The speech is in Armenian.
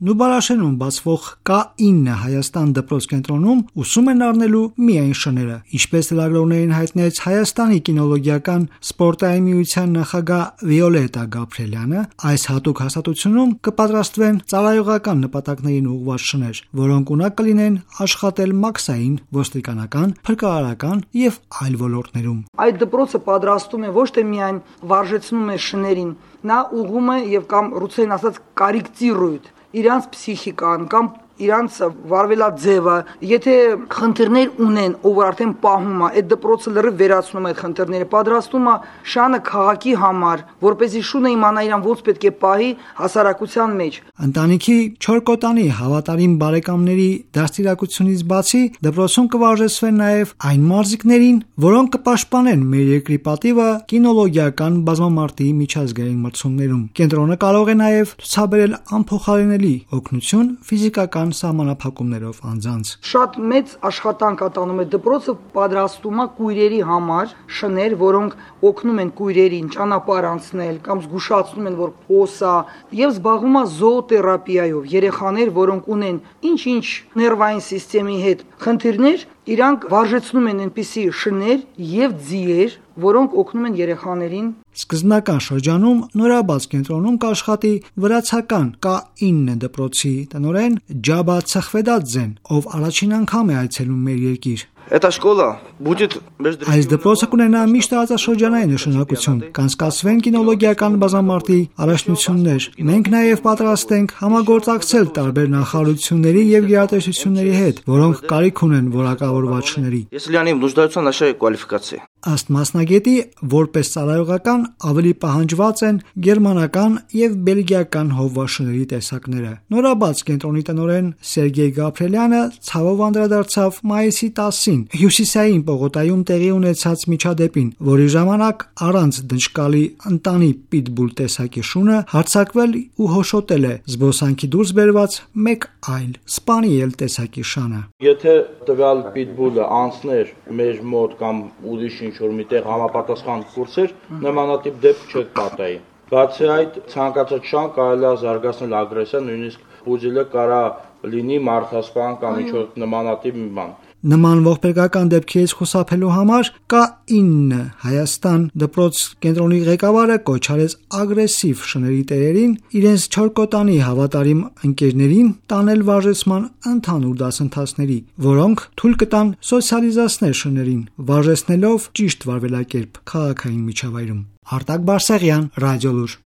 Նուբարաշենում բացվող K9 Հայաստան դպրոց կենտրոնում ուսում են առնելու միայն շները։ Ինչպես լրագրողներին հայտնեց Հայաստանի կինոլոգիական սպորտային միության նախագահ Վիոլետա Գաբրիելյանը, այս հատուկ հաստատությունում կպատրաստվեն ծառայողական նպատակներին ուղղված շներ, որոնք ունակ կլինեն աշխատել մաքսային, ոստիկանական, փրկարարական եւ այլ ոլորտներում։ Այդ դպրոցը պատրաստում է ոչ թե միայն վարժեցնում է շներին, նա ուղղում է եւ կամ ռուսերեն ասած կարիկտիրույթ իրանց փսիխիկան կամ իրանց վարվելաձևը, եթե խնդիրներ ունեն, ով արդեն պահում է, այդ դպրոցը լրիվ վերացնում է այդ խնդիրները, պատրաստում է շանը քաղաքի համար, որպեսզի շունը իմանա իրան ոնց պետք է պահի հասարակության մեջ։ Ընտանիքի 4 կոտանի հավատարիմ բարեկամների դաստիարակությունից բացի դպրոցում կվարժեցվեն նաև այն մարզիկներին, որոնք կպաշտպանեն մեր երկրի պատիվը կինոլոգիական բազմամարտի միջազգային մրցումներում։ Կենտրոնը կարող է նաև ցուցաբերել անփոխարինելի օգնություն ֆիզիկական սահմանափակումներով անձանց։ Շատ մեծ աշխատանք ատանում է դպրոցը, պատրաստում է կույրերի համար շներ, որոնք օգնում են կույրերին ճանապարհ անցնել կամ զգուշացնում են, որ փոսա, եւ զբաղվում է զոոթերապիայով։ Երեխաներ, որոնք ունեն ինչ-ինչ ներվային սիստեմի հետ խնդիրներ, իրանք վարժեցնում են այնպիսի շներ եւ ձիեր, որոնք օգնում են երեխաներին։ Սկզբնական շրջանում նորաբաց կենտրոնում կաշխատի վրացական K9 դպրոցի տնօրեն Ջաբա Ցխվեդաձեն, ով առաջին անգամ է այցելում մեր երկիր։ Այս դպրոցը կունենա միշտ տարածաշրջանային նշանակություն, կանցկացվեն կինոլոգիական բազմամարտի առաջնություններ։ Մենք նաև պատրաստ ենք համագործակցել տարբեր նախարարությունների եւ գերատեսչությունների հետ, որոնք կարիք ունեն որակավորված շների։ Ըստ մասնագետի, որպես ծառայողական ավելի պահանջված են գերմանական եւ բելգիական հովվաշների տեսակները։ Նորաբաց կենտրոնի տնօրեն Սերգեյ Գաբրիելյանը ցավով անդրադարձավ մայիսի 10-ին Հյուսիսային Պողոտայում տեղի ունեցած միջադեպին, որի ժամանակ առանց դժկալի ընտանի պիտբուլ տեսակի շունը հարձակվել ու հոշոտել է զբոսանքի դուրս բերված մեկ այլ սպանիել տեսակի շանը։ Եթե տվյալ պիտբուլը անցներ մեր մոտ կամ ուրիշ ինչ-որ միտեղ համապատասխան կուրսեր, նմանատիպ դեպք չկպատայի։ Բացի այդ, ցանկացած շան կարելի է զարգացնել ագրեսիա, նույնիսկ ուժելը կարա լինի մարդասպան կամ ինչ-որ նմանատիպ մի բան։ Նման ողբերգական դեպքերից խուսափելու համար K9 Հայաստան դպրոց կենտրոնի ղեկավարը կոչ արեց ագրեսիվ շների տերերին իրենց 4 կոտանի հավատարիմ ընկերներին տանել վարժեցման ընդհանուր դասընթացների, որոնք թույլ կտան սոցիալիզացնել շներին, վարժեցնելով ճիշտ վարվելակերպ քաղաքային միջավայրում։ Արտակ Բարսեղյան, Ռադիոլուր։